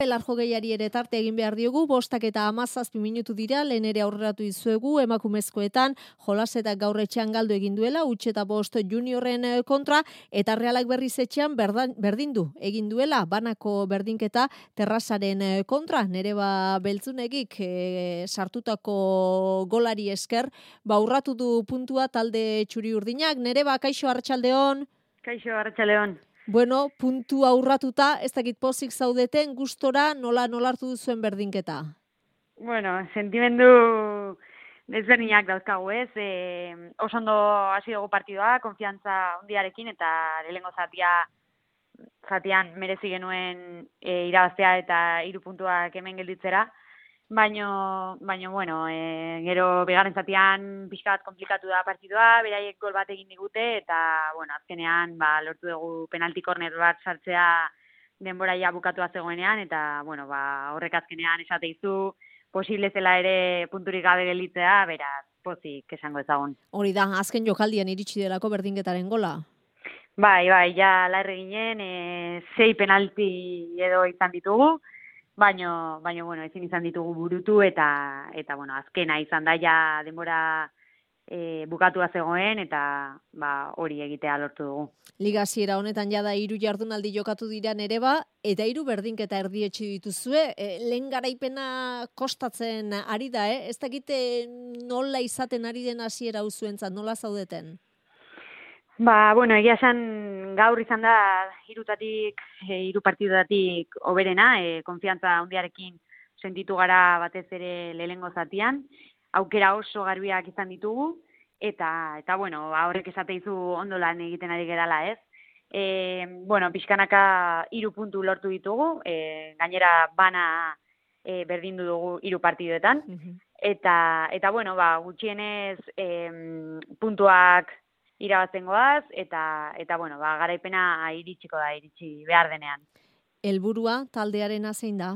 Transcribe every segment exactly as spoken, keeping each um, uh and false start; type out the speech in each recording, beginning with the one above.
Larjo gehiari ere tarte egin behar diogu, bostak eta hamazazpi minutu dira, lehen ere aurreratu izuegu, emakumezkoetan, jolasetak gaur etxean galdu egin duela, utx eta bost juniorren kontra, eta Realak berriz etxean berdan, berdindu egin duela, banako berdinketa terrazaren kontra, Nereba Beltzunegik e, sartutako golari esker, ba urratu du puntua talde txuri urdinak. Nereba, kaixo, arratsaldeon. Kaixo, arratsaldeon. Bueno, puntu aurratuta, ez dakit pozik zaudeten, gustora nola nolartu duzuen berdinketa? Bueno, sentimendu desberdinak dauzkagu ez, e, oso ondo hasi dugu partidoa, konfiantza handiarekin eta lehengo zatia zatian merezi genuen e, irabaztea eta hiru puntuak hemen gelditzera. Baino, baino, bueno, e, gero bigarren zatian pixka bat komplikatu da partidua, beraiek gol bat egin digute, eta, bueno, azkenean, ba, lortu dugu penalti korner bat sartzea denboraia bukatua zegoenean, eta, bueno, ba, horrek azkenean esateizu, posible zela ere punturik gabe gelditzea, beraz, pozik esango ezagun. Hori da, azken jokaldian iritsi delako berdinketaren gola? Bai, bai, ja, larre ginen, e, sei penalti edo izan ditugu, Baino, baino, bueno, ezin izan ditugu burutu eta, eta bueno, azkena izan da ja denbora e, bukatua zegoen eta ba, hori egitea lortu dugu. Liga hasiera honetan jada hiru jardunaldi jokatu dira Nereba eta hiru berdinketa erdietsi dituzue. E, lehen garaipena kostatzen ari da, eh? Ez dakite nola izaten ari den hasiera hau zuentzat, nola zaudeten? Ba, bueno, egia esan gaur izan da hirutatik, e, hiru partidatik hoberena, e, konfiantza handiarekin sentitu gara batez ere lehengo zatian, aukera oso garbiak izan ditugu, eta, eta bueno, horrek esateizu ondo lan egiten ari gerala ez. E, bueno, pixkanaka hiru puntu lortu ditugu, e, gainera bana e, berdindu dugu hiru partidoetan, uh-huh. eta, eta bueno, ba, gutxienez e, puntuak irabazten goaz, eta, eta bueno, ba, garaipena iritsiko da, iritsi behar denean. Helburua taldearena zein da?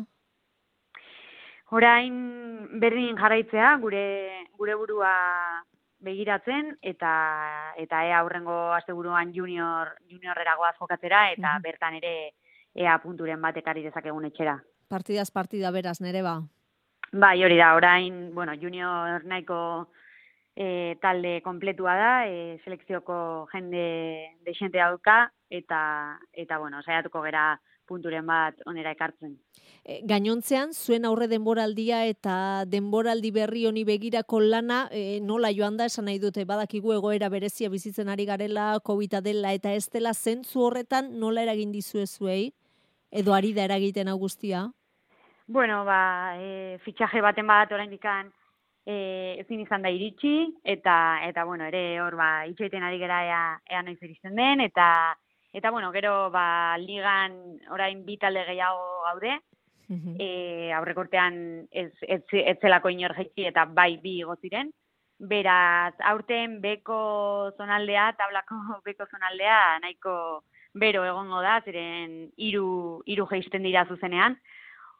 Orain berdin jarraitzea, gure gure burua begiratzen, eta eta ea aurrengo asteburuan junior juniorreragoaz jokatzera, eta uh-huh. bertan ere ea punturen bat ekarri dezakegun etxera. Partidaz partida beraz, Nereba? Bai, hori da, orain, bueno, junior nahiko E, talde kompletua da, e, selekzioko jende deixente dauka, eta, eta bueno, saiatuko gera punturen bat onera ekartzen. E, gainontzean, zuen aurre denboraldia eta denboraldi berri honi begirako lana, e, nola joan da, esan nahi dute, badakigu egoera berezia bizitzen ari garela, COVID dela eta ez dela, zentzu horretan nola eragin dizue zuei, edo ari da eragiten hau guztia? Bueno, ba, e, fitxaje baten bat orain dikan, E, ezin izan da iritsi, eta, eta bueno, ere hor, ba, itxoiten ari gera ea, ea noiz iristen den, eta, eta bueno, gero, ba, ligan orain bi talde gehiago gaude, uh-huh. e, aurrekortean ez, ez, ez zelako inor jaitsi, eta bai bi goziren, beraz, aurten beko zonaldea, tablako beko zonaldea, nahiko bero egongo da, ziren hiru hiru jaisten dira zuzenean.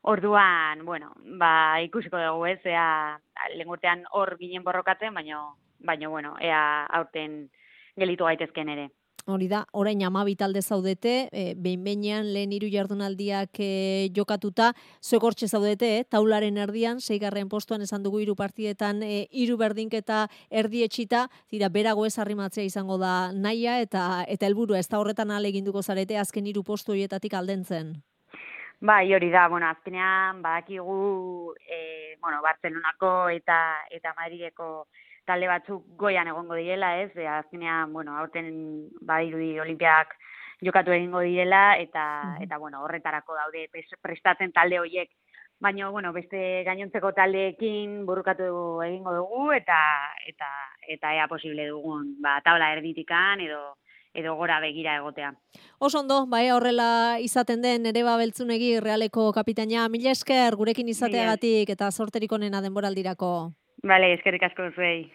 Orduan, bueno, ba, ikusiko dugu ez, ea lehengurtean hor ginen borrokatzen, baina, baina, bueno, ea aurten gelitu gaitezken ere. Hori da, orain hamabi talde zaudete, e, behin-behinean lehen hiru jardunaldiak e, jokatuta, zuek hortxe zaudete, eh? Taularen erdian, seigarren postuan esan dugu hiru partidetan, e, hiru berdinketa erdietxita, zira, berago ez arrimatzea izango da nahia, eta eta helburua ez da horretan ahaleginduko zarete, azken hiru postu horietatik aldentzen. Bai, hori da, bueno, azkenean badakigu e, bueno, Bartzelonako eta eta Madrideko talde batzuk goian egongo direla, ez? E, azkenean, bueno, aurten badirudi olimpiak jokatu egingo direla eta uh-huh. eta bueno, horretarako daude prestatzen talde horiek. Baina, bueno, beste gainontzeko taldeekin burukatu egingo dugu eta eta eta ea posible dugun, ba, tabla erditikan edo edo gora begira egotea. Oso ondo, bai horrela izaten den Nereba Beltzunegi Realeko kapitaina, mila esker gurekin izateagatik eta sorterik onena denboraldirako. Bale, eskerrik asko zuei.